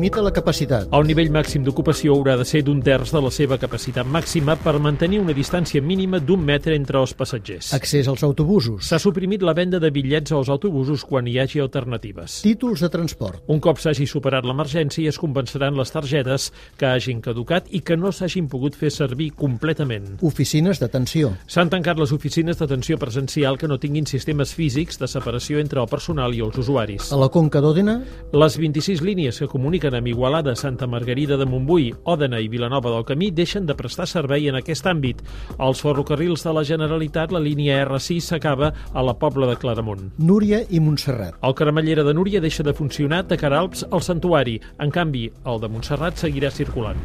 limita la capacitat. El nivell màxim d'ocupació haurà de ser d'un terç de la seva capacitat màxima per mantenir una distància mínima d'1 metre entre els passatgers. Accés als autobusos. S'ha suprimit la venda de bitllets als autobusos quan hi hagi alternatives. Títols de transport. Un cop s'hagi superat l'emergència, es compensaran les targetes que hagin caducat i que no s'hagin pogut fer servir completament. Oficines d'atenció. S'han tancat les oficines d'atenció presencial que no tinguin sistemes físics de separació entre el personal i els usuaris. A la Conca d'Òdena, Les 26 línies que comuniquen amb Igualada, Santa Margarida de Montbui, Òdena i Vilanova del Camí deixen de prestar servei en aquest àmbit. Als ferrocarrils de la Generalitat, la línia R6 s'acaba a la Pobla de Claramunt. Núria i Montserrat. El Cremallera de Núria deixa de funcionar de cara Alps al Santuari. En canvi, el de Montserrat seguirà circulant.